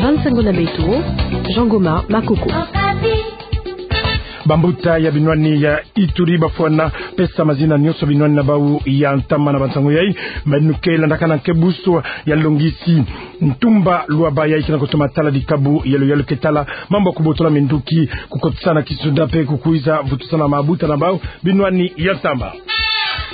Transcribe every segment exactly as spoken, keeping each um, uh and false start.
Bansango na beto, Jean Goma Makoko. Bambuta ya binwani ya Ituri bafwana pesa mazina nyonso binwani na bau ya ntama na bansango yai, meno ke landakana nkebuso ya longisi Ntumba Luaba yai ke na kutoma tala dikabu yalu yalu ke tala mambu ya kubotola minduki, kukotisa na kisoda mpe kukwiza vutusana mabuta na bau binwani ya ntama.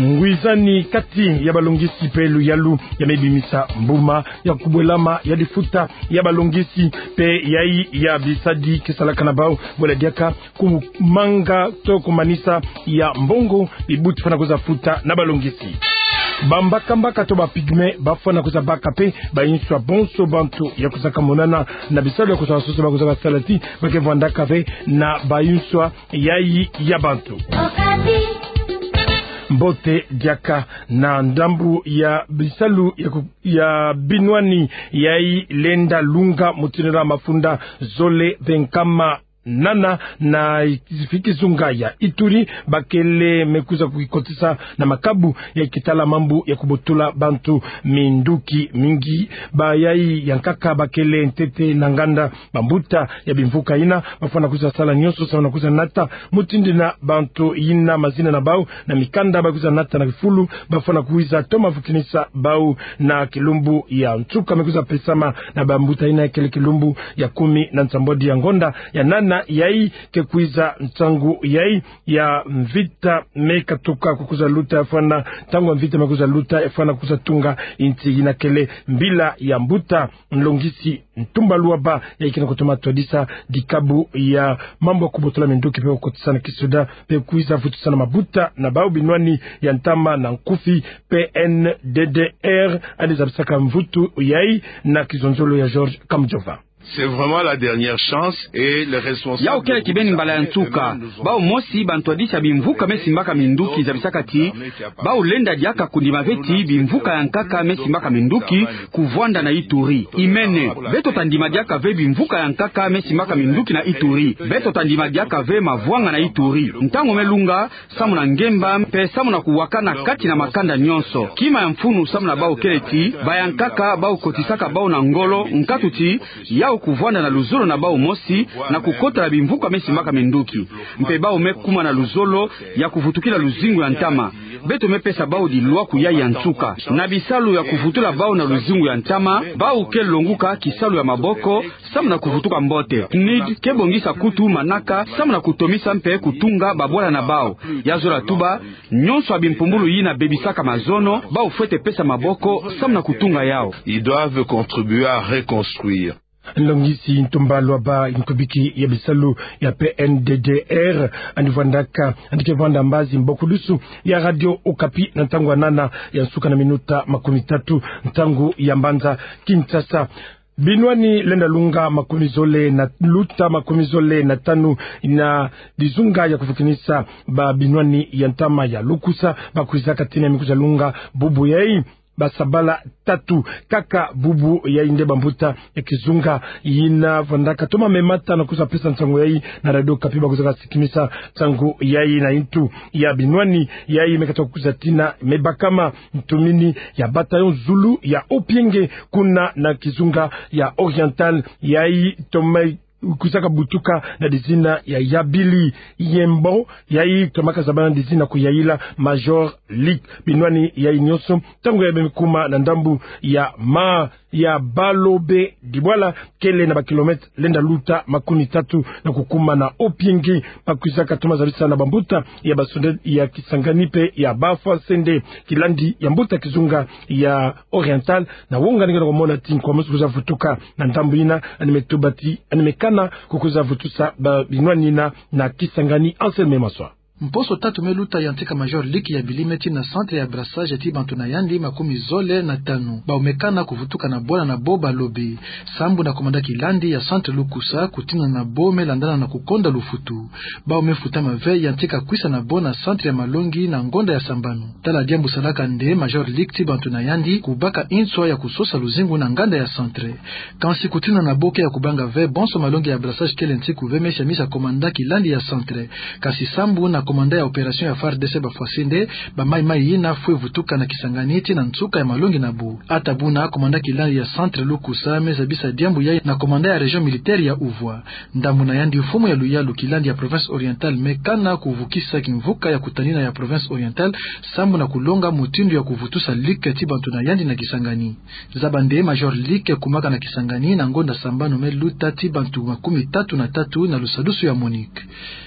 Ngwizani kati ya balongisi mpe luyalu ya mebimisa mbuma ya kubwelama ya difuta ya balongisi mpe yai ya bisadi ke salaka na bau, bwela diaka kumanga to kumanisa ya mbongo bibuti fwana kwiza futa na balongisi. Bambakambaka to ba pygmées bafwana kwiza baka mpe bayinswa bonso bantu ya kwizaka monana na bisalu ya kusosa sosa ba kwizaka sala ti ba ke vandaka ve na bayinswa yai ya bantu. Mbote diaka na ndambu ya bisalu ya ku-, ya binwani yai lenda lunga mutindu na mafunda zole mpe nkama nana na fi kizunga ya Ituri, bakele me kwiza kukikotisa na makabu ya ke tala mambu ya kubotula bantu minduki mingi. Bayai ya nkaka bakele ntete na nganda bambuta ya bimvuka yina, bafwana kwiza sala nyonso samu na kwiza nata mutindu na bantu yina mazina na bau na mikanda, ba kwiza nata na kifulu, bafwana kwiza toma vukinisa bau na kilumbu ya nsuka me kwiza pesama na bambuta yina, kele kilumbu ya kumi na nsambwadi ya ngonda ya nana yai ke kwiza nsangu yai ya mvita me katuka kukwiza luta, fwana ntangu ya mvita me kwiza luta, fwana kwiza tunga insi yina kele mbila ya mbuta nlongisi Ntumba Luaba yai ke na kutoma twadisa dikabu ya mambu ya kubotola minduki mpe kukotisa na kisoda mpe kwiza vutusana mabuta na bau binwani ya ntama na nkufi P N D D R, yandi zabisaka mvutu yai na kizonzolo ya George Kamujova. C'est vraiment la dernière chance et les responsables. Yau kele kibeni mbala ya nsuka. Bau mosi bantwadisi ya bimvuka me simbaka minduki zabisaka ti bau lenda diaka kundima ve ti bimvuka ya nkaka me simbaka minduki kuvwanda na Ituri. Imene, beto ta ndima diaka ve bimvuka ya nkaka me simbaka minduki na Ituri. Beto ta ndima diaka ve mavwanga na Ituri. Ntangu me lunga, samu na ngemba, mpe samu na kuwakana kati na makanda nyonso. Kima ya mfunu samu na bau kele ti, bayankaka bau kotisaka bau na ngolo, nkatu ti, yau kuvwanda na luzolo na bau mosi, na kukota na bimvuka me simbaka minduki. Mpe bau me kuma na luzolo ya kuvutukila luzingu ya ntama. Beto me pesa bau dilwaku yai ya nsuka. Na bisalu ya kuvutula bau na luzingu ya ntama, bau ke longuka kisalu ya maboko, samu na kuvutuka mbote. P N U D ke bongisa kutu manaka, samu na kutomisa mpe kutunga babwala na bau. Ya zola tuba, nyonso ya bimpumbulu yina bebisaka mazono, bau fwete pesa maboko, samu na kutunga yau. Ils doivent contribuer à reconstruire. Nlongisi Ntumba Luaba, nkubiki ya bisalu ya P N D D R, yandi vwandaka, yandi ke vwanda mbazi mbokudusu ya Radio Okapi na ntangu ya nana ya nsuka na minuta makumi tatu, ntangu ya mbanza Kinshasa. Binwani lenda lunga makumi zole na luta makumi zole na tanu na dizunga ya kuvukinisa ba binwani ya ntama ya lukusa, ba kwizaka tina me kwiza lunga bubu yai, ba sabala tatu kaka bubu yai nde bambuta ya kizunga yina vwandaka toma memata na kwiza pesa nsangu yai na Radio Okapi, ba kwizaka sikimisa nsangu yai na intu ya binwani yai me katuka kwiza tina me bakama ntumini ya bataillon Zulu ya Opienge kuna na kizunga ya Oriental yai toma kwizaka butuka na dizina ya Yabili Yembo, yai tomaka zabana dizina kuyaila Major League. Binwani yai nyonso, ntangu yai beme kuma na ndambu ya ma ya Balobe Dibwala, kele na ba kilomètre lenda luta makumi tatu na kukuma na Opienge, ba kwizaka toma zabisa na bambuta ya basonde ya Kisangani mpe ya Bafwa Nsende, kilandi ya mbuta kizunga ya Oriental, na wonga ninga na komona ti nkwa mosi kwiza vutuka na ndambu yina, yandi me tuba ti, yandi me kana kukwiza vutusa ba binwani yina na Kisangani. Anselme Maswa. Mposo tatu me luta yantika Major League Yabili me tina centre ya brassage ti bantu na yandi makumi zole na tanu. Bau me kana kuvutuka na bwala na bau Balobe. Sambu na commandant kilandi ya centre lukusa, kutina na bau me landana na kukonda lufutu. Bau me futama ve yantika kwisa na bau na centre ya malongi na ngonda ya sambanu. Tala diambu salaka nde Major League ti bantu na yandi kubaka inswa ya kusosa luzingu na nganda ya centre. Kansi kutina na bau ke ya kubanga ve bonso malongi ya brassage kele nsiku ve me siamisa commandant kilandi ya centre. Kansi sambu na Commandant ya opération ya FARDC bafwasende bamaimai yina fwe vutuka na Kisangani tii na nsuka ya malongi nabo. Ata buna commandant kilandi ya centre Lukusa me zabisa diambu yayi na commandant ya région militaire ya Uvwa. Ndambu na yandi, mfumu ya luyalu kilandi ya province orientale me kana kuvukisa kimvuka ya kutanina ya province orientale, sambu na kulonga mutindu ya kuvutusa Luc tii bantu na yandi na Kisangani. Zaba nde major Luc kumaka na Kisangani na ngonda sambanu me luta tii bantu makumi tatu na tatu na lusadusu ya MONUC.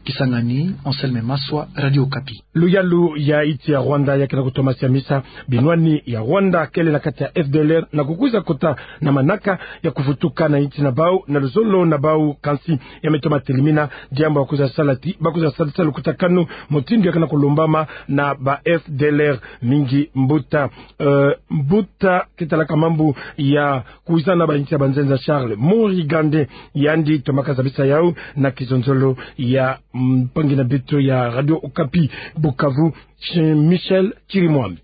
Kisangani, Anselme Maswa, Radio Okapi. Luyalu ya insi ya Rwanda ya kena kutoma siamisa binwani ya Rwanda kele na kati ya F D L R na kukwiza kota na manaka ya kuvutuka na insi na bau na luzolo na bau, kansi ya me toma telimina diambu ya kwiza sala tii bakwiza salisa lukutakanu mutindu ya kena kulombama na ba F D L R. Mingi mbuta, eh, mbuta ketalaka mambu ya kwizana ba insi ya banzenza Charles Morigande, yandi tomaka zabisa yau na kizonzolo ya, mm, mpangi na beto ya Radio Okapi Bukavu, Ch-, Michel Chirimwami.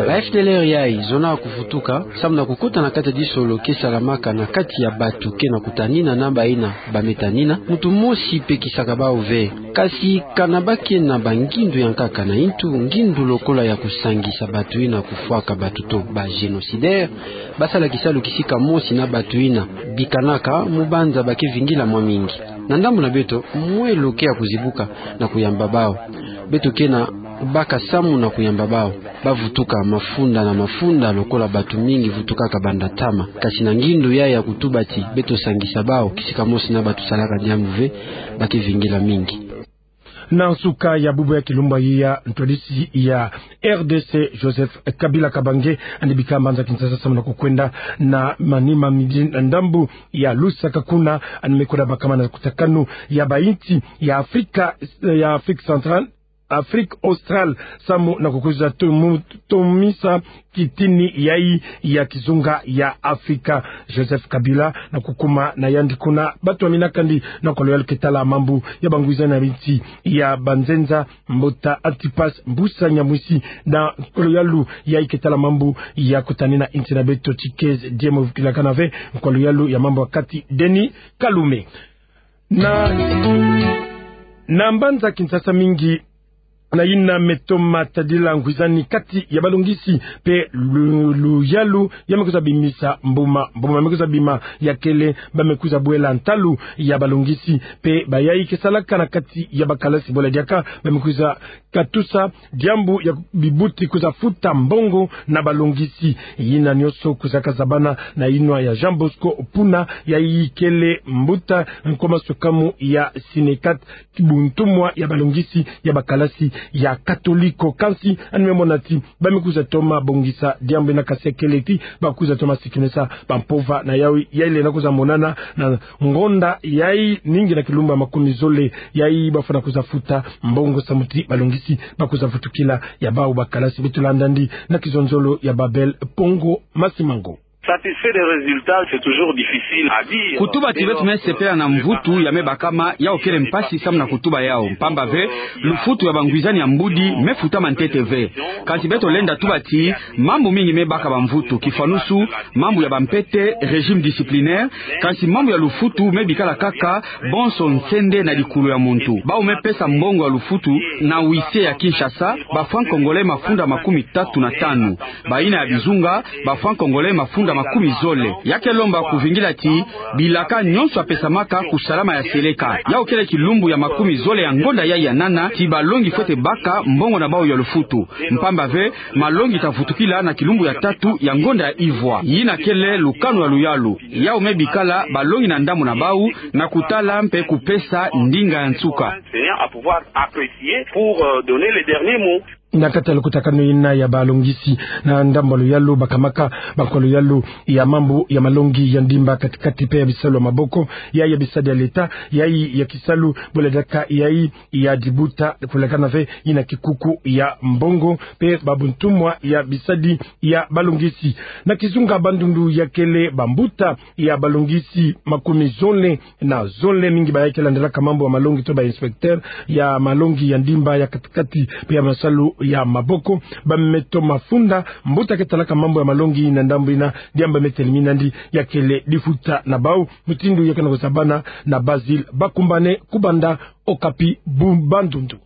Ba F D L R yayi zonaka kuvutuka, samu na kukota na kati ya disolo ke salamaka na kati ya bantu ke na kutanina na bayina ba me tanina, muntu mosi pe kisaka bau ve. Kasi kana ba ke na bangindu ya nkaka na intu, ngindu lokola ya kusangisa bantu yina kufwaka bantu to ba génocidaires, ba sala kisalu kisika mosi na bantu yina bikanaka, mubanza ba ke vingila mwa mingi. Na ndambu na beto, mwelo ke ya kuzibuka na kuyamba bau. Beto ke na baka samu na kuyamba bau. Ba vutuka mafunda na mafunda lokola bantu mingi vutukaka banda ntama. Kasi na ngindu yayi ya kutuba ti beto sangisa bau kisika mosi na bantu salaka diambu ve, ba ke vingila mingi. Na nsuka ya bubu ya kilumbu yayi, ntwadisi ya R D C Joseph Kabila Kabange yandi bika mbanza Kinshasa samu na kukwenda na manima midi na ndambu ya Lusaka, kuna yandi me kwenda bakama na lukutakanu ya ba insi ya Afrika, ya Afrique centrale, Afrique australe, samu na kukwiza tomu-, tomisa kitini yayi ya kizunga ya Afrika. Joseph Kabila na kukuma na yandi kuna, ba twamina kandi na nkolo yalu ketala mambu ya bangwizani ya binsi ya banzenza, mbuta Antipas Mbusa Nyamwisi, na nkolo yalu yayi ketala mambu ya kutanina insi na beto Tshikezi Diemo, vukilakana ve nkolo yalu ya mambu ya kati Denis Kalume. Na, na mbanza Kinshasa mingi na yina me toma tadila ngwizani kati ya balongisi pe lu-, luyalu ya me kwiza bimisa mbuma, mbuma me kwiza bima ya kele ba me kwiza bwela ntalu ya balongisi pe bayayi ke salaka na kati ya bakalasi, bwela diaka ba me kwiza katusa diambu ya bibuti kwiza futa mbongo na balongisi. Yina nyonso kwizaka zabana na yinwa ya Jean Bosco Puna, yayi kele mbuta nkoma sokamu ya Synecat, buntumwa ya balongisi ya bakalasi ya katoliko. Kansi yandi me mona ti ba me kwiza toma bongisa diambu yina, kasi ya kele ti ba kwiza toma sikinisa bampova na yayi, yayi lenda kwiza monana na ngonda yayi ningi na kilumbu ya makumi zole, yayi ba fwana kwiza futa mbongo samu ti balongisi ba kwiza vutukila ya bau bakalasi. Beto landa yandi na kizonzolo ya Babel Pongo Masimango. Satisfait des résultats, c'est toujours difficile à dire. Kutuba ti beto me sepela na mvutu ya me bakama, yau kele mpasi samu na kutuba yau. Mpamba ve, lufutu ya bangwizani ya mbudi me futama ntete ve. Kansi beto lenda tuba ti mambu mingi me baka bamvutu, kifwanusu mambu ya bampete, régime disciplinaire, kansi mambu ya lufutu me bikala kaka bonso nsende na dikulu ya muntu. Bau me pesa mbongo ya lufutu na huissier ya Kinshasa, ba francs congolais mafunda makumi tatu na tanu. Bayina ya bizunga, ba francs congolais mafunda makumi zole. Ya ke lomba kuvingila ti bilaka nyonso ya pesamaka kusalama ya seleka. Yau kele kilumbu ya makumi zole ya ngonda yayi ya nana ti balongi fwete baka mbongo na bau ya lufutu. Mpamba ve, malongi ta vutukila na kilumbu ya tatu ya ngonda ya ivwa. Yina kele lukanu ya luyalu. Yau me bikala balongi na ndambu na bau na kutala mpe kupesa ndinga ya nsuka. Enseignants à pouvoir apprécier pour, euh, donner les derniers mots. Na kati ya lukutakanu yina ya balongisi, na ndambu ya luyalu bakamaka, bankwa luyalu ya mambu ya malongi ya ndimba kati-kati pe ya bisalu ya maboko, yayi ya bisadi ya leta, yayi ya kisalu, bwela diaka yayi ya dibuta, kulekana ve yina kikuku ya mbongo, pe babuntumwa ya bisadi ya balongisi. Na kizunga Bandundu ya kele bambuta ya balongisi makumi zole na zole, mingi bayayi ke landelaka mambu ya malongi to ba inspecteur ya malongi ya ndimba ya kati-kati pe ya masalu ya maboko, ba me toma funda mbuta ke talaka mambu ya malongi na ndambu ina, diambu me telimina ndi ya kele difuta na bau, mutindu ya ke na kusabana na Basile Bakumbane, ku banda Okapi bu Bandundu.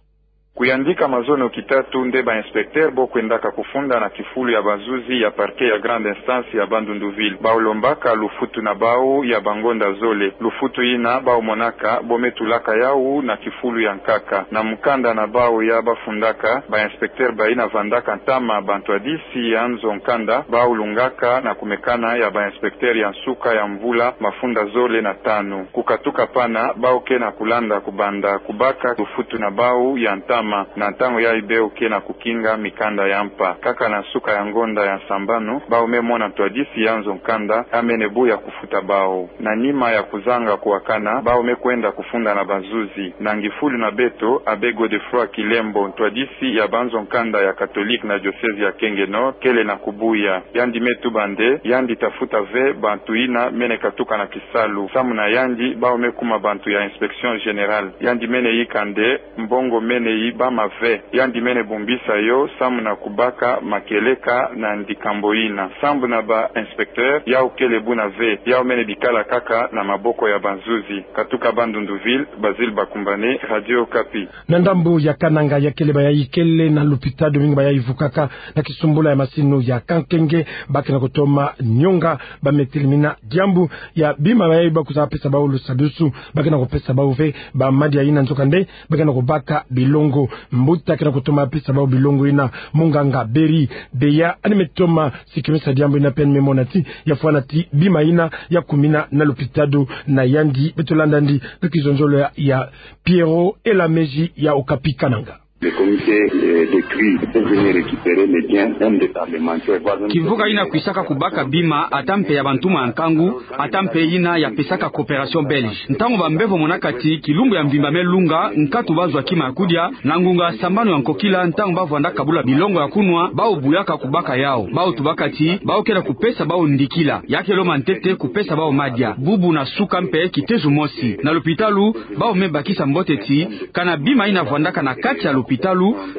Kuyandika mazono kitatu nde ba inspecteur bo kwendaka kufunda na kifulu ya bazuzi ya parquet ya grande instance ya Bandundu ville. Bau lombaka lufutu na bau ya bangonda zole. Lufutu ina bau monaka bo me tulaka yau na kifulu ya nkaka. Na mukanda na bau ya bafundaka, ba inspecteur baina vandaka ntama bantwadisi ya nzo nkanda, bau lungaka na kumekana ya ba inspecteur ya nsuka ya mvula mafunda zole na tanu. Kukatuka pana, bau ke na kulanda kubanda kubaka lufutu na bau ya ntama, na ntangu yayi bau ke na kukinga mikanda ya mpa. Kaka na nsuka ya ngonda ya nsambanu, bau me mona ntwadisi ya nzo nkanda, a mene bu ya kufuta bau. Na nima ya kuzanga kuwakana, bau me kwenda kufunda na bazuzi. Na ngifulu na beto, Abbé Godefroid Kilembo, ntwadisi ya banzo nkanda ya Catholique na diocèse ya Kenge Nord, kele na kubuya. Yandi me tuba nde, yandi tafuta ve bantu ina mene katuka na kisalu. Samu na yandi, bau me kuma bantu ya inspection générale. Yandi mene yika nde, mbongo mene yibama ve. Yandi mene bumbisa yo, samu na kubaka makieleka na ndikambo ina. Sambu na ba inspecteur, yau kele buna ve. Yau mene bikala kaka na maboko ya bazuzi. Katuka Bandundu ville, Basile Bakumbane, Radio Okapi. Na ndambu ya Kananga, ya kele ba yayi kele na lupitalu, mingi ba yayi vukaka na kisumbula ya masini ya kankenge, ba ke na kutoma nyonga, ba me telimina diambu ya bima ba yayi ba kwiza pesa bau lusadusu, ba ke na kupesa bau ve ba madia ina, nzokande ba ke na kubaka bilongo. Mbuta ke na kutoma pesa bau bilongo ina, munganga Beri Beya, ani me toma sikimisa diambu ina pe ani me mona ti ya fwana ti bima ina ya kumina na lupitalu na yandi. Beto landa ndi na kizonzolo ya, ya Pierrot Elameji ya Okapi Kananga. Le comité, euh, de crise est venu récupérer les biens, même des parlementaires, voire même... Kimvuka ina kwisaka kubaka bima, ata mpe ya bantuma ya nkangu, ata mpe ina ya pesaka coopération belge. Ntangu bambevo monaka ti kilumbu ya mvimba me lunga, nkatu bazwa kima ya kudia, na ngunga sambanu ya nkokila, ntangu ba vwanda kabula bilongo ya kunwa, bau buyaka kubaka yau. Bau tubaka ti bau ke na kupesa bau ndikila. Ya ke lomba ntete kupesa bau madia. Bubu na suka mpe kitezo mosi. Na lupitalu, bau me bakisa mbote ti, kana bima ina vwandaka na kati ya lupitalu,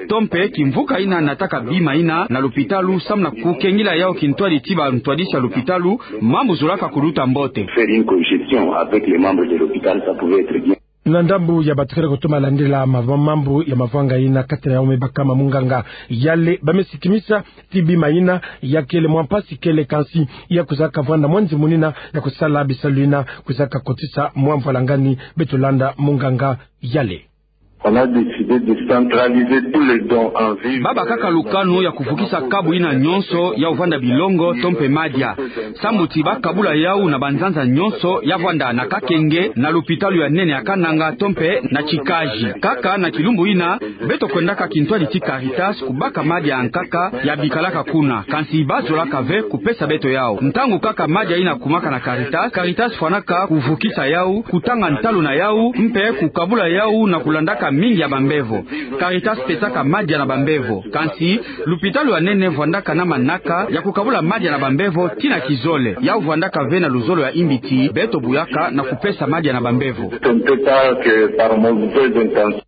to mpe kimvuka ina nataka bima ina na lupitalu, samu na kukengila yau kintwadi ti bantwadisi ya lupitalu, mambu zolaka kuluta mbote. Faire une cogestion avec les membres de l'hôpital, ça pouvait être bien. Na ndambu ya bato ke na kutoma landila mavwa-, mambu ya mavwanga ina, kati na yau me bakama munganga Yale, ba me sikimisa ti bima ina ya kele mwa mpasi kele, kansi ya kwizaka vwanda mwa nzimuni ina ya kusala bisalu ina kwizaka kotisa mwa mvwalangani. Beto landa munganga Yale. On a décidé de centraliser tous les dons en vue... Ba bakaka lukanu ya kuvukisa kabu ina nyonso ya kuvwanda bilongo to mpe madia. Sambu ti ba kabula yau na banzanza nyonso ya vwanda na Kakenge, na lupitalu ya nene ya Kananga to mpe na Tikaji. Kaka na kilumbu ina, beto kwendaka kintwadi ti Caritas kubaka madia ya nkaka ya bikalaka kuna. Kansi ba zolaka ve kupesa beto yau. Ntangu kaka madia ina kumaka na Caritas, Caritas fwanaka kuvukisa yau, kutanga ntalu na yau, mpe kukabula yau na kulandaka mingi ya bambevo. Caritas pesaka madia na bambevo. Kansi, lupitalu ya nene vwandaka na manaka ya kukabula madia na bambevo ti na kizole. Yau vwandaka ve na luzolo ya imbi ti beto buyaka na kupesa madia na bambevo. Ce n'était pas que par mauvaise intention.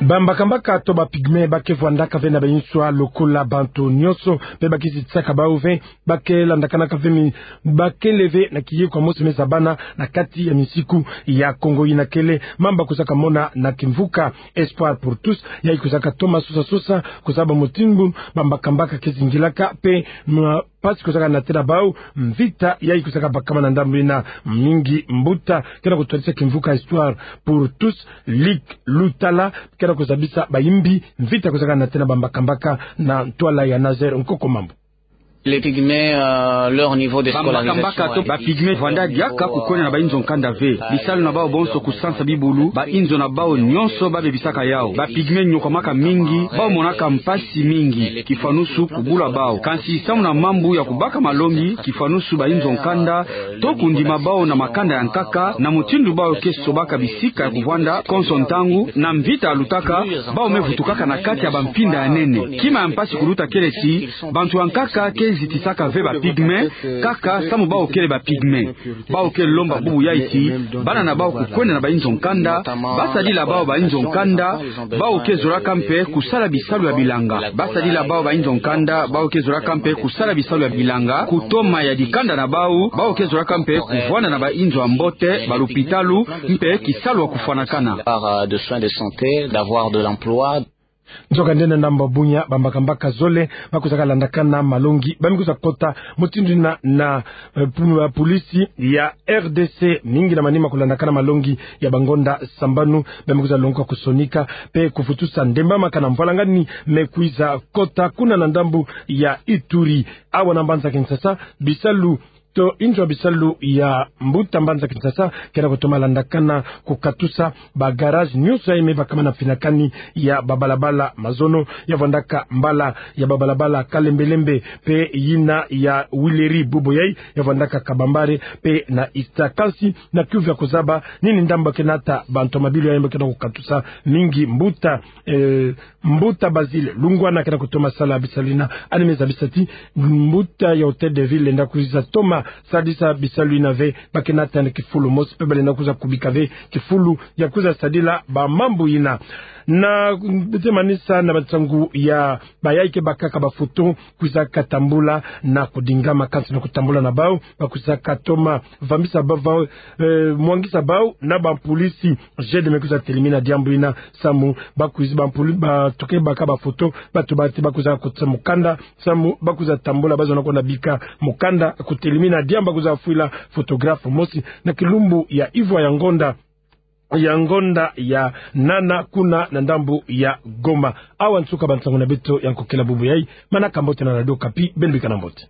Bambakambaka to ba pygmées ba ke vwandaka ve na ba inswa lokola bantu nyonso, mpe ba ke zitisaka bau ve, ba ke landakanaka ve mi-, ba kele ve na kiyeko ya mosi me zabana na kati ya misiku ya Kongo ina. Kele mambu ba kwizaka mona na kimvuka Espoir pour tous, yayi kwizaka toma sosa-sosa, kuzaba mutindu bambakambaka ke zingilaka, mpe ma- mpasi kwizaka natela bau, mvita yayi kwizaka bakama na ndambu ina. Mingi mbuta ke na kutwadisa kimvuka Espoir pour tous, Luc Lutala, ke na kuzabisa bayimbi mvita kwizaka natela bambakambaka na ntwala ya Nazaire Nkoko Mambu. Les pygmées, euh, leur niveau de scolarisation... Bambakambaka to ba pygmées vwanda diaka kukwenda na ba inzo nkanda ve. Bisalu na bau bonso kusansa bibulu, ba inzo na bau nyonso ba bebisaka yau. Ba pygmées nyokwamaka mingi, bau monaka mpasi mingi, kifwanusu kubula bau. Kansi samu na mambu ya kubaka malongi, kifwanusu ba inzo nkanda, to kundima bau na makanda ya nkaka, na mutindu bau ke sobaka bisika ya kuvwanda konso ntangu, na mvita yalutaka, bau me vutukaka na kati ya bampinda ya nene. Kima ya mpasi kuluta kele ti bantu ya nkaka ke Zitisaka ve ba pygmées, kaka samu bawu kele ba pygmées. Bawu ke lomba bubu yayi ti bana na bawu kukwenda na ba inzo nkanda, ba sadila bawu ba inzo nkanda, bawu ke zolaka mpe kusala bisalu ya bilanga. Ba sadila bawu ba inzo nkanda, bawu ke zolaka mpe kusala bisalu ya bilanga, kutoma ya dikanda na bawu, bawu ke zolaka mpe kuvwanda na ba inzo ya mbote, ba lupitalu, mpe kisalu ya kufwanakana. Par, euh, de soins de santé, d'avoir de l'emploi. Nzokande na ndambu ya bunya, bambakambaka zole bakwizaka landakana malongi, bambi kwiza kota mutindu yina na, eh, pu-, eh, pulisi ya R D C, mingi na manima kulandakana malongi ya bangonda sambanu, bambi kwiza longoka kusonika mpe kufutusa ndembamaka na mvwalangani me kwiza kota kuna na ndambu ya Ituri. Awa na mbanza Kinshasa, bisalu to inzo ya bisalu ya mbuta mbanza Kinshasa kena kutoma landakana kukatusa ba garage nyonso yayi me bakama na mfinakani ya babalabala mazono, ya vwandaka mbala ya babalabala Kalembelembe mpe yina ya Huileries bubu yayi, ya vwandaka Kabambare mpe na Ista. Kansi na kiuvu ya kuzaba nini ndambu kena ta ba ntomabilu yayi mbo kena kukatusa mingi mbuta, eh, Mbuta Basile Lungwana kena kutoma sala bisalu yina, yandi me zabisa ti mbuta ya Hôtel de Ville lenda kwiza toma sadisa bisalu yina ve, ba kena tanda kifulu mosi mpe balenda kwiza kubika ve kifulu ya kwiza sadila ba mambu yina. Na, mm, bete manisa na bansangu ya bayayi ke bakaka ba photo kwizaka tambula na kudingama, kansi na kutambula na bawu, bakwizaka toma vambisa ba-, ba-, eh, mwangisa bawu na bampulisi. G D me kwiza telimina diambu yina, samu bakwizi bampuli-, bato ke baka ba photo, bato bati bakwiza kotisa mukanda, samu bakwiza tambula, bazona kwenda bika mukanda, kutelimina diambu bakwiza fwila photographe mosi na kilumbu ya ivwa ya ngonda, ya ngonda ya nana kuna na ndambu ya Goma. Awa nsuka bansangu na beto ya nkokela bubu yayi, manaka mbote na Radio Okapi, beno bikana mbote.